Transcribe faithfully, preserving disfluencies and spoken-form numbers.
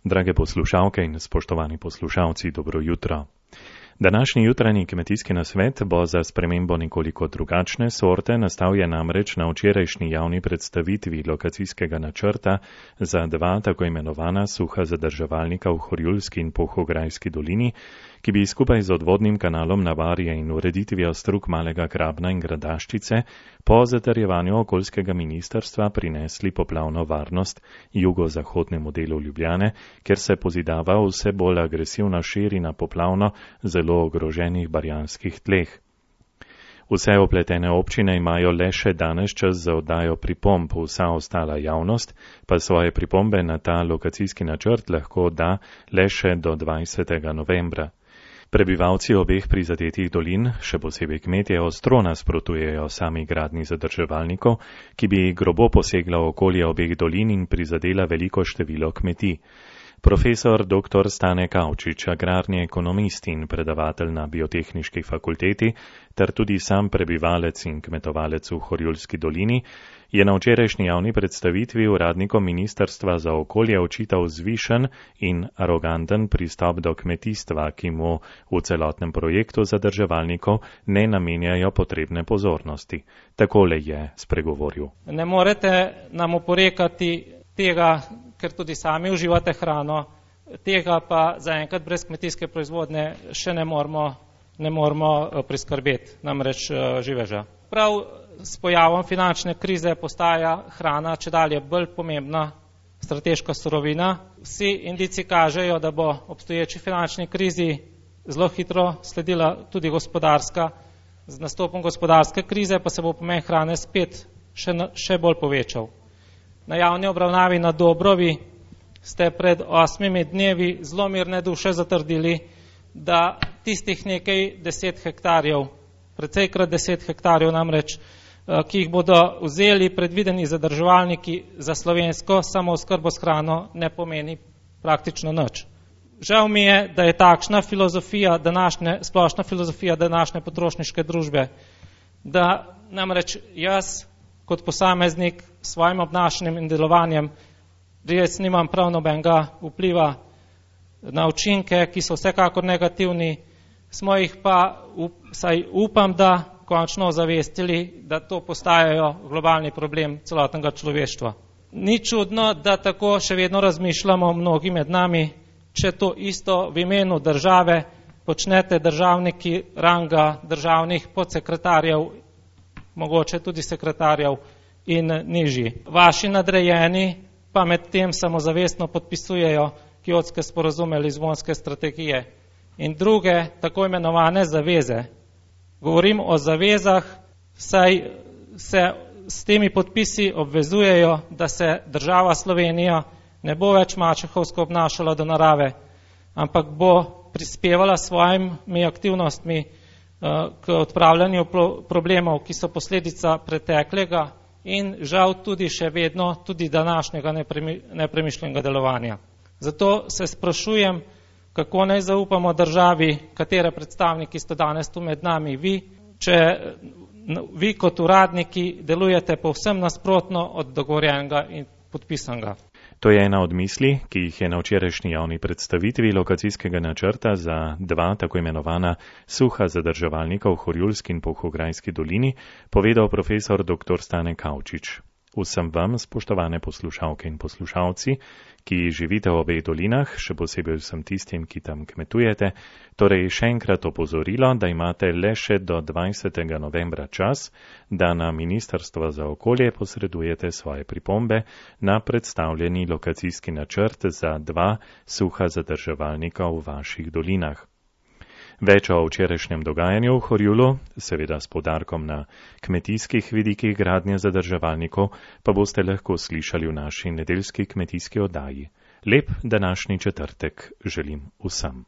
Drage poslušalke in spoštovani poslušalci, dobro jutro. Današnji jutranji kmetijski nasvet bo za spremembo nekoliko drugačne sorte, nastal je namreč na včerajšnji javni predstavitvi lokacijskega načrta za dva tako imenovana suha zadrževalnika v Horjulski in Polhograjski dolini, ki bi skupaj z odvodnim kanalom Navarje in ureditvijo strug Malega Grabna in Gradaščice po zatrjevanju okoljskega ministrstva prinesli poplavno varnost jugozahodnemu delu Ljubljane, kjer se pozidava vse bolj agresivna širina poplavno zelo ogroženih barjanskih tleh. Vse opletene občine imajo le še danes čas za oddajo pripomb, vsa ostala javnost pa svoje pripombe na ta lokacijski načrt lahko da le še do dvajsetega novembra. Prebivalci obeh prizadetih dolin, še posebej kmetje, ostro nasprotujejo sami gradnji zadrževalnikov, ki bi grobo posegla v okolje obeh dolin in prizadela veliko število kmetij. Profesor doktor Stane Kavčič, agrarni ekonomist in predavatelj na Biotehniški fakulteti, ter tudi sam prebivalec in kmetovalec v Horjulski dolini, je na včerajšnji javni predstavitvi uradnikom Ministrstva za okolje očital zvišen in aroganten pristop do kmetijstva, ki mu v celotnem projektu zadrževalnikov ne namenjajo potrebne pozornosti. Takole je spregovoril. Ne morete nam oporekati tega, ker tudi sami uživate hrano, tega pa zaenkrat brez kmetijske proizvodnje še ne moramo, ne moramo priskrbeti, namreč živeža. Prav s pojavom finančne krize postaja hrana čedalje bolj pomembna strateška surovina. Vsi indici kažejo, da bo obstoječi finančni krizi zelo hitro sledila tudi gospodarska. Z nastopom gospodarske krize pa se bo pomen hrane spet še, še bolj povečal. Na javni obravnavi na Dobrovi ste pred osmimi dnevi zelo mirne duše zatrdili, da tistih nekaj deset hektarjev, precejkrat deset hektarjev namreč, ki jih bodo vzeli predvideni zadrževalniki za slovensko samooskrbo s hrano, ne pomeni praktično nič. Žal mi je, da je takšna filozofija današnje, splošna filozofija današnje potrošniške družbe, da namreč jaz kot posameznik s svojim obnašanjem in delovanjem res nimam prav nobenega vpliva na učinke, ki so vsekakor negativni, smo jih pa, up, saj upam, da končno ozavestili, da to postajajo globalni problem celotnega človeštva. Ni čudno, da tako še vedno razmišljamo mnogi med nami, če to isto v imenu države počnete državniki ranga državnih podsekretarjev, mogoče tudi sekretarjev in nižji. Vaši nadrejeni pa med tem samozavestno podpisujejo Kjotske sporazume, Lizbonske strategije in druge tako imenovane zaveze. Govorim o zavezah, saj se s temi podpisi obvezujejo, da se država Slovenija ne bo več mačehovsko obnašala do narave, ampak bo prispevala svojimi aktivnostmi k odpravljanju problemov, ki so posledica preteklega in žal tudi še vedno tudi današnjega nepremišljenega delovanja. Zato se sprašujem, kako naj zaupamo državi, katere predstavniki ste danes tu med nami vi, če vi kot uradniki delujete povsem nasprotno od dogovorjenega in podpisanega. To je ena od misli, ki jih je na včerajšnji javni predstavitvi lokacijskega načrta za dva tako imenovana suha zadrževalnika v Horjulski in Polhograjski dolini povedal profesor doktor Stane Kavčič. Vsem vam, spoštovane poslušalke in poslušalci, ki živite v obeh dolinah, še posebej vsem tistim, ki tam kmetujete, torej še enkrat opozorilo, da imate le še do dvajsetega novembra čas, da na Ministrstvo za okolje posredujete svoje pripombe na predstavljeni lokacijski načrt za dva suha zadrževalnika v vaših dolinah. Več o včerajšnjem dogajanju v Horjulu, seveda s poudarkom na kmetijskih vidikih gradnje zadrževalnikov, pa boste lahko slišali v naši nedeljski kmetijski oddaji. Lep današnji četrtek želim vsem.